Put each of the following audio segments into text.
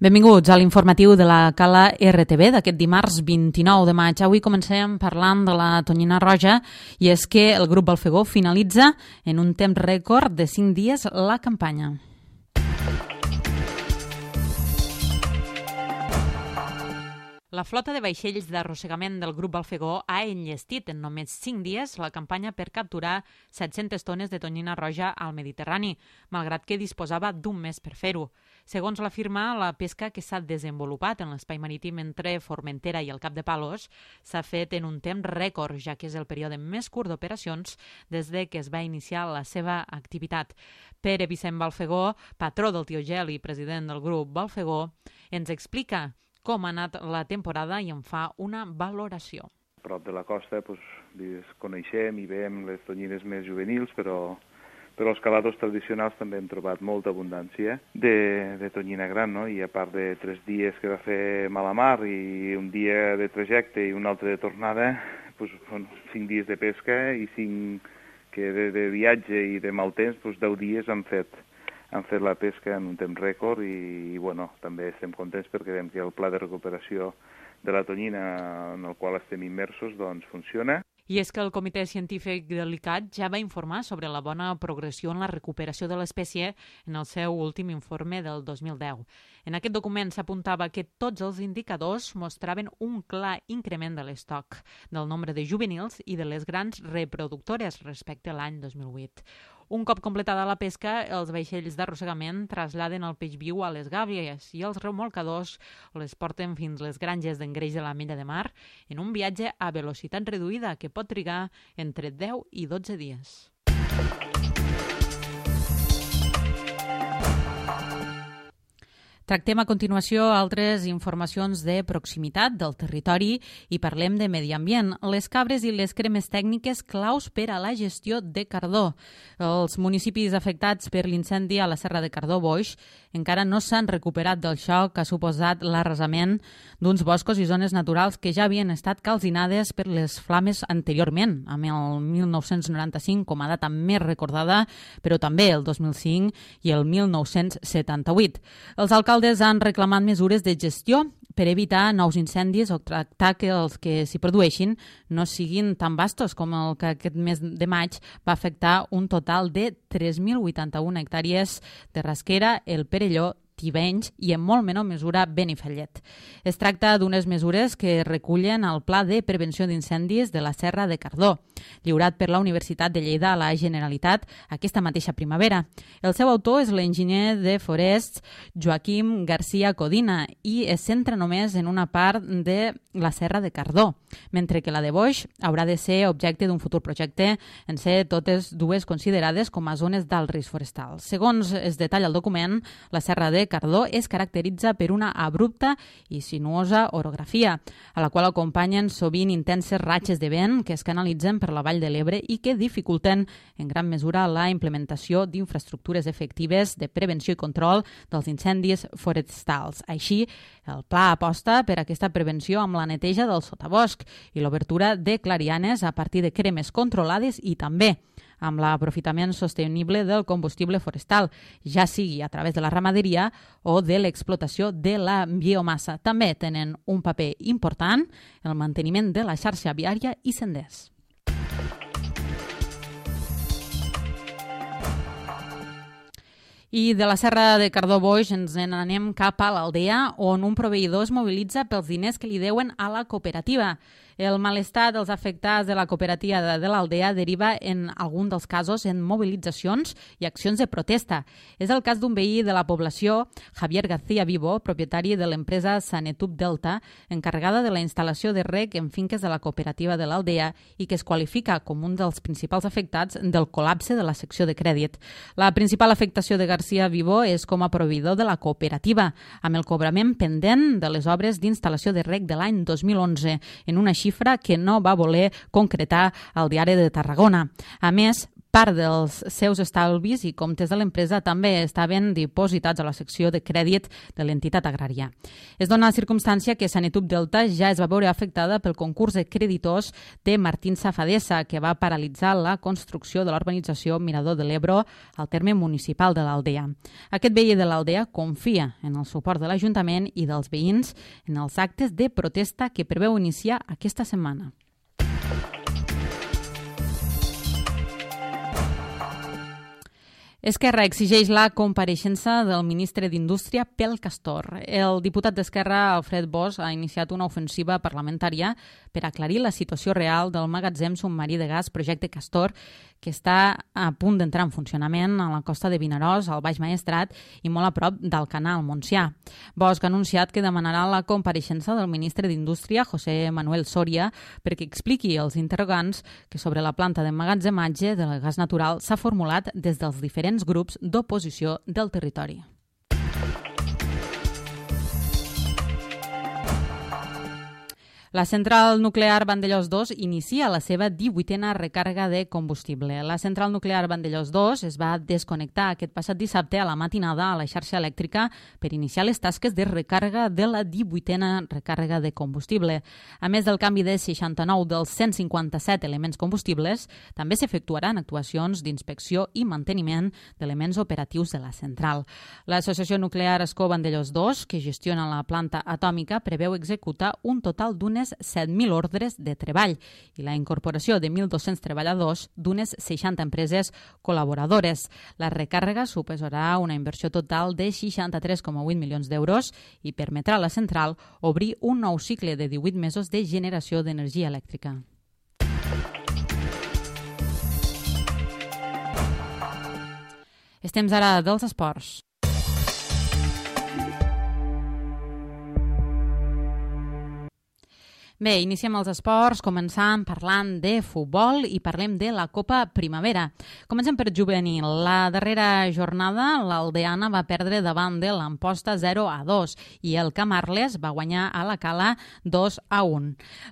Benvinguts a l'informatiu de la Cala RTV d'aquest dimarts 29 de maig. Avui comencem parlant de la tonyina roja i és que el grup Balfegó finalitza en un temps rècord de 5 dies la campanya. La flota de vaixells d'arrossegament del grup Balfegó ha enllestit en només 5 dies la campanya per capturar 700 tones de tonyina roja al Mediterrani, malgrat que disposava d'un mes per fer-ho. Segons la firma, la pesca que s'ha desenvolupat en l'espai marítim entre Formentera i el Cap de Palos s'ha fet en un temps rècord, ja que és el període més curt d'operacions des de que es va iniciar la seva activitat. Pere Vicent Balfegó, patró del Tiogel i president del grup Balfegó, ens explica com ha anat la temporada i en fa una valoració. A prop de la costa coneixem i veiem les tonyines més juvenils, però els caladors tradicionals també hem trobat molta abundància de tonyina gran, no? I a part de 3 dies que va fer mala mar i un dia de trajecte i un altre de tornada, 5 dies de pesca i 5 que de viatge i de mal temps, 10 dies han fet la pesca en un temps rècord i també estem contents perquè veiem que el pla de recuperació de la tonyina en el qual estem immersos funciona. I és que el Comitè Científic de l'ICAT ja va informar sobre la bona progressió en la recuperació de l'espècie en el seu últim informe del 2010. En aquest document s'apuntava que tots els indicadors mostraven un clar increment de l'estoc, del nombre de juvenils i de les grans reproductores respecte a l'any 2008. Un cop completada la pesca, els vaixells d'arrossegament traslladen el peix viu a les gàbies i els remolcadors les porten fins les granges d'engreix de la Mella de Mar en un viatge a velocitat reduïda que pot trigar entre 10 i 12 dies. Tractem a continuació altres informacions de proximitat del territori i parlem de medi ambient. Les cabres i les cremes tècniques claus per a la gestió de Cardó. Els municipis afectats per l'incendi a la Serra de Cardó-Boix encara no s'han recuperat del xoc que ha suposat l'arrasament d'uns boscos i zones naturals que ja havien estat calcinades per les flames anteriorment, amb el 1995 com a data més recordada, però també el 2005 i el 1978. Els alcaldes han reclamat mesures de gestió per evitar nous incendis o tractar que els que s'hi produeixin no siguin tan vastos com el que aquest mes de maig va afectar un total de 3.081 hectàrees de Rasquera, el Perelló, Tivenys i en molt menor mesura Benifallet. Es tracta d'unes mesures que recullen el Pla de Prevenció d'Incendis de la Serra de Cardó, lliurat per la Universitat de Lleida a la Generalitat aquesta mateixa primavera. El seu autor és l'enginyer de forests Joaquim García Codina i es centra només en una part de la Serra de Cardó, mentre que la de Boix haurà de ser objecte d'un futur projecte en ser totes dues considerades com a zones d'alt risc forestal. Segons es detalla el document, la Serra de Cardó es caracteritza per una abrupta i sinuosa orografia, a la qual acompanyen sovint intenses ratxes de vent que es canalitzen per la Vall de l'Ebre i que dificulten en gran mesura la implementació d'infraestructures efectives de prevenció i control dels incendis forestals. Així, el pla aposta per aquesta prevenció amb la neteja del sotabosc i l'obertura de clarianes a partir de cremes controlades i també amb l'aprofitament sostenible del combustible forestal, ja sigui a través de la ramaderia o de l'explotació de la biomassa. També tenen un paper important el manteniment de la xarxa viària i senders. I de la Serra de Cardó-Boix ens n'anem cap a l'Aldea, on un proveïdor es mobilitza pels diners que li deuen a la cooperativa. El malestar dels afectats de la cooperativa de l'Aldea deriva en algun dels casos en mobilitzacions i accions de protesta. És el cas d'un veí de la població, Javier García Vivo, propietari de l'empresa Sanetub Delta, encarregada de la instal·lació de reg en finques de la cooperativa de l'Aldea i que es qualifica com un dels principals afectats del col·lapse de la secció de crèdit. La principal afectació de García Vivo és com a proveïdor de la cooperativa, amb el cobrament pendent de les obres d'instal·lació de reg de l'any 2011, en una xifra que no va voler concretar el Diari de Tarragona. A més, Part dels seus estalvis i comptes de l'empresa també estaven dipositats a la secció de crèdit de l'entitat agrària. Es dona la circumstància que Sanetub Delta ja es va veure afectada pel concurs de creditors de Martín Safadesa, que va paralitzar la construcció de l'urbanització Mirador de l'Ebro al terme municipal de l'Aldea. Aquest veí de l'Aldea confia en el suport de l'Ajuntament i dels veïns en els actes de protesta que preveu iniciar aquesta setmana. Esquerra exigeix la compareixença del ministre d'Indústria pel Castor. El diputat d'Esquerra, Alfred Bosch, ha iniciat una ofensiva parlamentària per aclarir la situació real del magatzem submarí de gas Projecte Castor, que està a punt d'entrar en funcionament a la costa de Vinaròs, al Baix Maestrat i molt a prop d'Alcanar, al Montsià. Bosch ha anunciat que demanarà la compareixença del ministre d'Indústria, José Manuel Soria, perquè expliqui als interrogants que sobre la planta d'emmagatzematge del gas natural s'ha formulat des dels diferents grups d'oposició del territori. La central nuclear Vandellòs 2 inicia la seva 18a recàrrega de combustible. La central nuclear Vandellòs 2 es va desconnectar aquest passat dissabte a la matinada a la xarxa elèctrica per iniciar les tasques de recàrrega de la 18a recàrrega de combustible. A més del canvi de 69 dels 157 elements combustibles, també s'efectuaran actuacions d'inspecció i manteniment d'elements operatius de la central. L'Associació Nuclear Ascó Vandellòs 2, que gestiona la planta atòmica, preveu executar un total d'unes 7.000 ordres de treball i la incorporació de 1.200 treballadors d'unes 60 empreses col·laboradores. La recàrrega suposarà una inversió total de 63,8 milions d'euros i permetrà a la central obrir un nou cicle de 18 mesos de generació d'energia elèctrica. És temps ara dels esports. Bé, iniciem els esports, començant parlant de futbol i parlem de la Copa Primavera. Comencem per juvenil. La darrera jornada, l'Aldeana va perdre davant de l'Amposta 0-2 i el Camarles va guanyar a la Cala 2-1.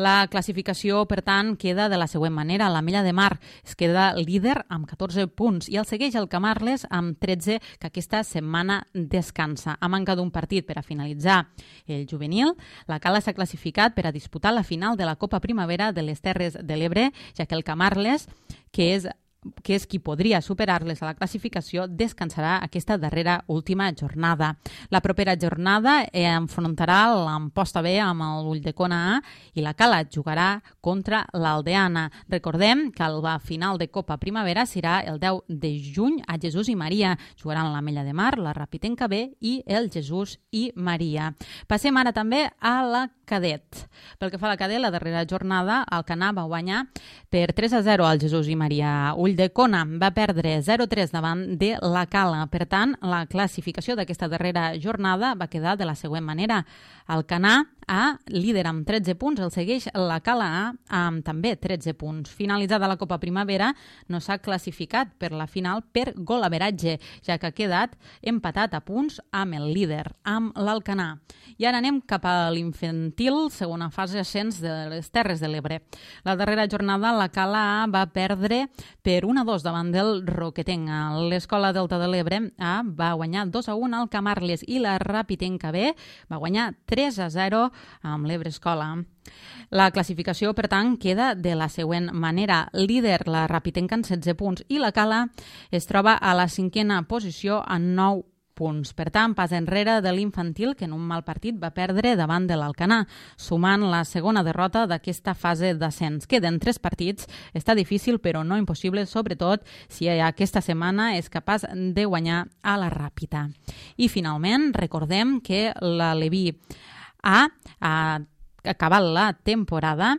La classificació, per tant, queda de la següent manera. L'Ametlla de Mar es queda líder amb 14 punts i el segueix el Camarles amb 13, que aquesta setmana descansa. A manca d'un partit per a finalitzar el juvenil, la Cala s'ha classificat per a disputar la final de la Copa Primavera de les Terres de l'Ebre, ja que el Camarles, que és qui podria superar-les a la classificació, descansarà aquesta darrera última jornada. La propera jornada enfrontarà l'Amposta B amb l'Ulldecona A i la Cala jugarà contra l'Aldeana. Recordem que la final de Copa Primavera serà el 10 de juny a Jesús i Maria. Jugaran l'Ametlla de Mar, la Rapitenca B i el Jesús i Maria. Passem ara també a la cadet. Pel que fa a la cadet, la darrera jornada, Alcanar va guanyar per 3-0 al Jesús i Maria. Ulldecona va perdre 0-3 davant de la Cala. Per tant, la classificació d'aquesta darrera jornada va quedar de la següent manera. Alcanar A, líder amb 13 punts, el segueix la Cala A amb també 13 punts. Finalitzada la Copa Primavera, no s'ha classificat per la final per golaveratge, ja que ha quedat empatat a punts amb el líder, amb l'Alcanar. I ara anem cap a l'infantil, segona fase ascens de les Terres de l'Ebre. La darrera jornada, la Cala A va perdre per 1-2 davant del Roquetenc. L'Escola Delta de l'Ebre A va guanyar 2-1 al Camarles i la Rapitenca B va guanyar 3-0 amb l'Ebre Escola. La classificació, per tant, queda de la següent manera. Líder la Rapitenca en 16 punts i la Cala es troba a la 5a posició amb 9 punts. Per tant, pas enrere de l'infantil, que en un mal partit va perdre davant de l'Alcanar, sumant la segona derrota d'aquesta fase d'ascens. Queden 3 partits, està difícil però no impossible, sobretot si aquesta setmana és capaç de guanyar a la Ràpita. I finalment, recordem que la Leví A ha acabat la temporada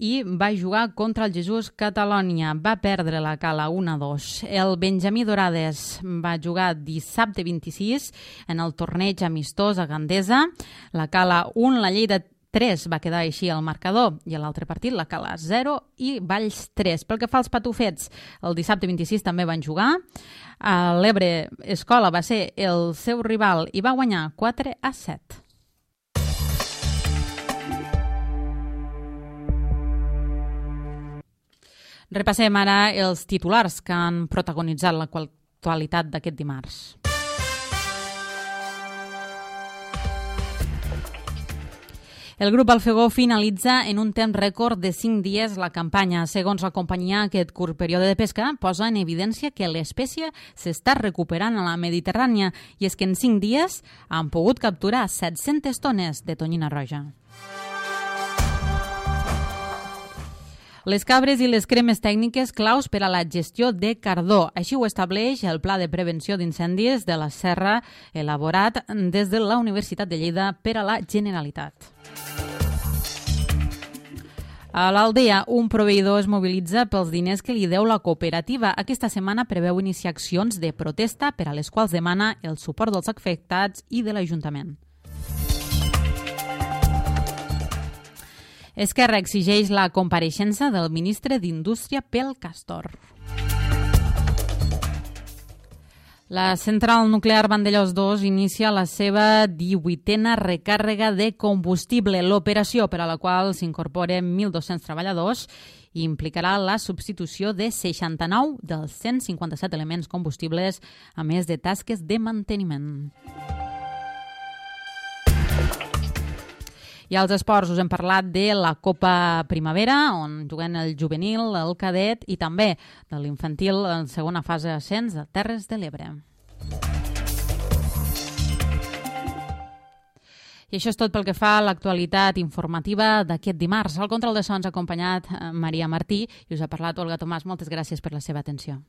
i va jugar contra el Jesús Catalònia. Va perdre la Cala 1-2. El Benjamí Dorades va jugar dissabte 26 en el torneig amistós a Gandesa. La Cala 1, la Lleida 3 va quedar així al marcador i a l'altre partit la Cala 0 i Valls 3. Pel que fa als patufets, el dissabte 26 també van jugar. L'Ebre Escola va ser el seu rival i va guanyar 4-7. Repassem ara els titulars que han protagonitzat l'actualitat d'aquest dimarts. El grup Alfegó finalitza en un temps rècord de 5 dies la campanya. Segons la companyia, aquest curt període de pesca posa en evidència que l'espècie s'està recuperant a la Mediterrània i és que en 5 dies han pogut capturar 700 tones de tonyina roja. Les cabres i les cremes tècniques claus per a la gestió de cardó. Així ho estableix el Pla de Prevenció d'Incendis de la Serra, elaborat des de la Universitat de Lleida per a la Generalitat. A l'Aldea, un proveïdor es mobilitza pels diners que li deu la cooperativa. Aquesta setmana preveu iniciar accions de protesta per a les quals demana el suport dels afectats i de l'Ajuntament. Esquerra exigeix la compareixença del ministre d'Indústria pel Castor. La central nuclear Vandellòs 2 inicia la seva 18a recàrrega de combustible. L'operació, per a la qual s'incorporen 1.200 treballadors, implicarà la substitució de 69 dels 157 elements combustibles, a més de tasques de manteniment. I als esports us hem parlat de la Copa Primavera, on juguen el juvenil, el cadet i també de l'infantil en segona fase d'ascens de Terres de l'Ebre. I això és tot pel que fa a l'actualitat informativa d'aquest dimarts. Al control de sons ha acompanyat Maria Martí i us ha parlat Olga Tomàs. Moltes gràcies per la seva atenció.